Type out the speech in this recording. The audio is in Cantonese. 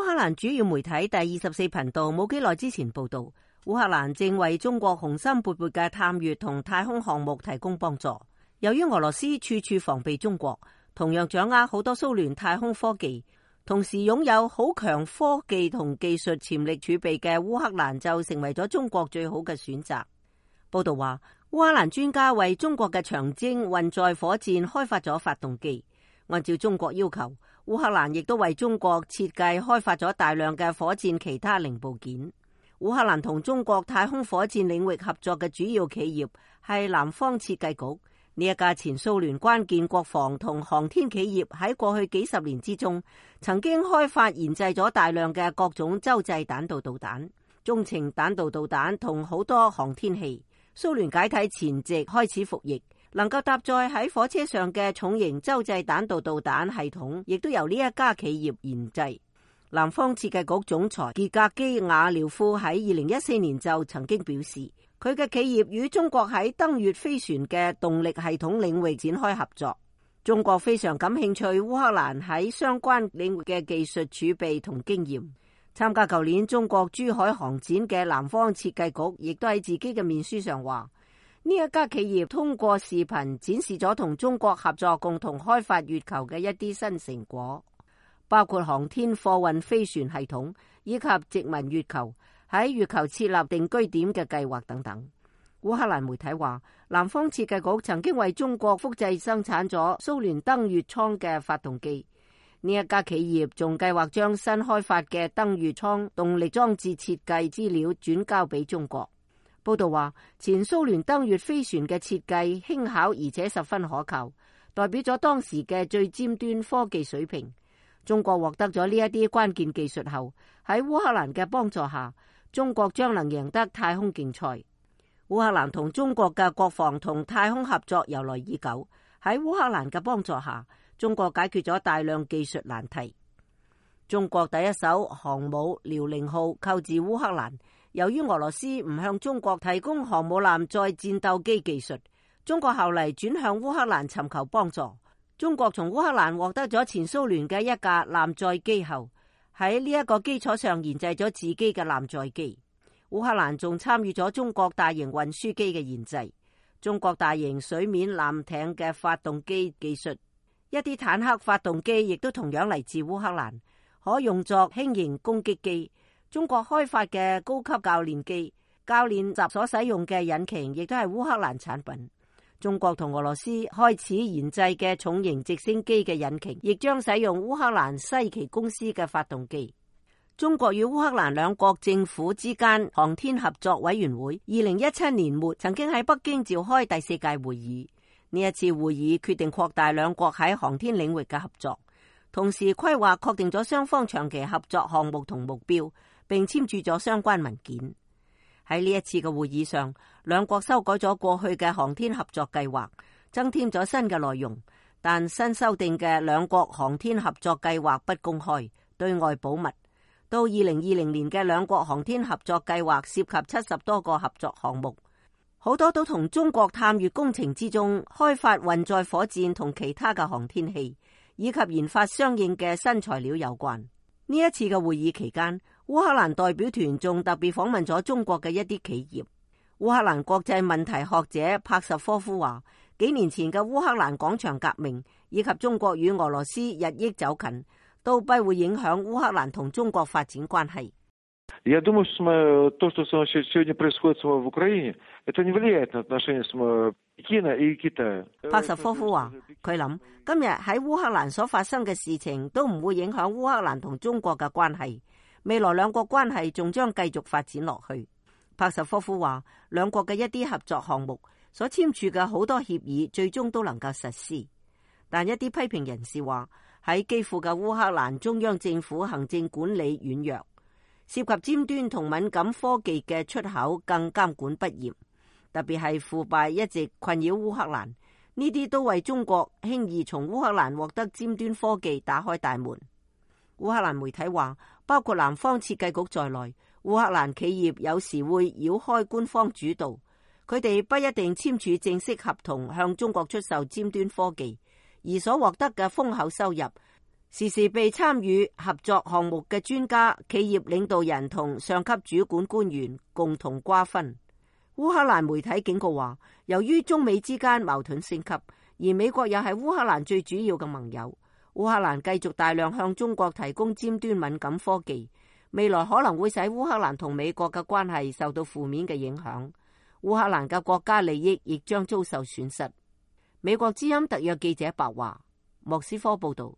烏克蘭主要媒體第24頻道冇幾耐之前報道，烏克蘭正為中國雄心勃勃嘅探月同太空項目提供幫助。由於俄羅斯處處防備中國，同樣掌握好多蘇聯太空科技，同時擁有好強科技同技術潛力儲備嘅烏克蘭就成為咗中國最好嘅選擇。報道話，烏克蘭專家為中國嘅長征運載火箭開發咗發動機。按照中國要求，烏克蘭亦都為中國設計開發咗大量嘅火箭其他零部件。烏克蘭同中國太空火箭領域合作嘅主要企業係南方設計局。呢一家前蘇聯關鍵國防同航天企業喺過去幾十年之中，曾經開發研製咗大量嘅各種洲際彈道導彈、中程彈道導彈同好多航天器。蘇聯解體前夕開始服役，能夠搭載喺火車上嘅重型洲際彈道導彈系統，亦都由呢一家企業研製。南方設計局總裁傑格基亞廖夫喺2014年就曾經表示，佢嘅企業與中國喺登月飛船嘅動力系統領域展開合作。中國非常感興趣烏克蘭喺相關領域嘅技術儲備同經驗。參加舊年中國珠海航展嘅南方設計局亦都喺自己嘅面書上話，呢一家企業通過視頻展示咗同中國合作共同開發月球嘅一啲新成果，包括航天貨運飛船系統以及殖民月球、喺月球設立定居點嘅計劃等等。烏克蘭媒體話，南方設計局曾經為中國複製生產咗蘇聯登月艙嘅發動機。呢一家企業仲計劃將新開發嘅登月艙動力裝置設計資料轉交俾中國。報道話，前蘇聯登月飛船嘅設計輕巧而且十分可靠，代表咗當時嘅最尖端科技水平。中國獲得咗呢一啲關鍵技術後，喺烏克蘭嘅幫助下，中國將能贏得太空競賽。烏克蘭同中國嘅國防同太空合作由來已久，喺烏克蘭嘅幫助下，中國解決咗大量技術難題。中國第一艘航母遼寧號購自烏克蘭，由於俄羅斯唔向中國提供航母艦載戰鬥機技術，中國後嚟轉向烏克蘭尋求幫助。中國從烏克蘭獲得咗前蘇聯嘅一架艦載機後，喺呢一個基礎上研製咗自己嘅艦載機。烏克蘭仲參與咗中國大型運輸機嘅研製，中國大型水面艦艇嘅發動機技術。一啲坦克發動機亦都同樣嚟自烏克蘭，可用作輕型攻擊機。中國開發嘅高級教練機、教練習所使用嘅引擎亦都係烏克蘭產品。中國同俄羅斯開始研製嘅重型直升機嘅引擎，亦將使用烏克蘭西奇公司嘅發動機。中國與烏克蘭兩國政府之間航天合作委員會2017年末曾經喺北京召開第4屆會議。呢一次會議決定擴大兩國喺航天領域嘅合作，同時規劃確定咗雙方長期合作項目同目標，並簽署咗相關文件。喺呢一次嘅會議上，兩國修改咗過去嘅航天合作計劃，增添咗新嘅內容，但新修訂嘅兩國航天合作計劃不公開，對外保密。到2020年嘅兩國航天合作計劃涉及70多個合作項目。好多都同中國探月工程之中開發運載火箭同其他嘅航天器，以及研發相應嘅新材料有關。呢一次嘅會議期間，烏克蘭代表團仲特別訪問咗中國嘅一啲企業。烏克蘭國際問題學者帕什科夫話，幾年前嘅烏克蘭廣場革命以及中國與俄羅斯日益走近，都不會影響烏克蘭同中國發展關係。Я думаю, что то, что сегодня происходит в Украине, это не влияет на отношения Пекина и Китая. 帕什科夫話，佢諗今日喺烏克蘭所發生嘅事情都唔會影響烏克蘭同中國嘅關係，未來兩國關係仲將繼續發展落去。帕什科夫話，兩國嘅一啲合作項目所簽署嘅好多協議最終都能夠實施，但一啲批評人士話，喺基輔嘅烏克蘭中央政府行政管理軟弱，涉及尖端同敏感科技嘅出口更監管不嚴，特別係腐敗一直困擾烏克蘭，呢啲都為中國輕易從烏克蘭獲得尖端科技打開大門。烏克蘭媒體話，包括南方設計局在內，烏克蘭企業有時會繞開官方主導，佢哋不一定簽署正式合同向中國出售尖端科技，而所獲得嘅豐厚收入時時被參與合作項目嘅專家、企業領導人同上級主管官員共同瓜分。烏克蘭媒體警告話，由於中美之間矛盾升級，而美國又係烏克蘭最主要嘅盟友，烏克蘭繼續大量向中國提供尖端敏感科技，未來可能會使烏克蘭同美國嘅關係受到負面嘅影響。烏克蘭嘅國家利益亦將遭受損失。美國之音特約記者白華，莫斯科報道。